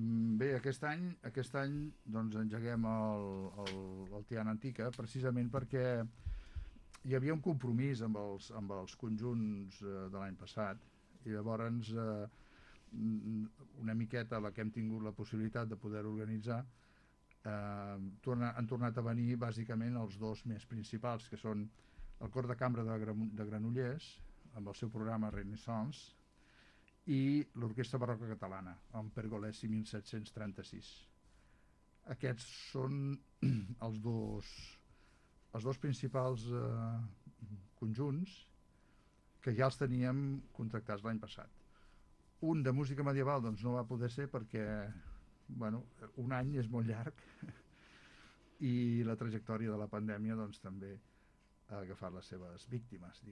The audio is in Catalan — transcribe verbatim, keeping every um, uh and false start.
Mm, Bé, aquest any, aquest any doncs, engeguem el, el, el Tiana Antica precisament perquè hi havia un compromís amb els, amb els conjunts eh, de l'any passat i llavors eh, mm, una miqueta la que hem tingut la possibilitat de poder organitzar eh, torna, han tornat a venir bàsicament els dos més principals, que són el Cor de Cambra de, de Granollers amb el seu programa Renaissance i l'Orquestra Barroca Catalana amb Pergolesi mil set-cents trenta-sis. Aquests són els dos els dos principals eh, conjunts que ja els teníem contractats l'any passat. Un de música medieval doncs no va poder ser perquè bueno, un any és molt llarg i la trajectòria de la pandèmia doncs també ha agafat les seves víctimes, diguem.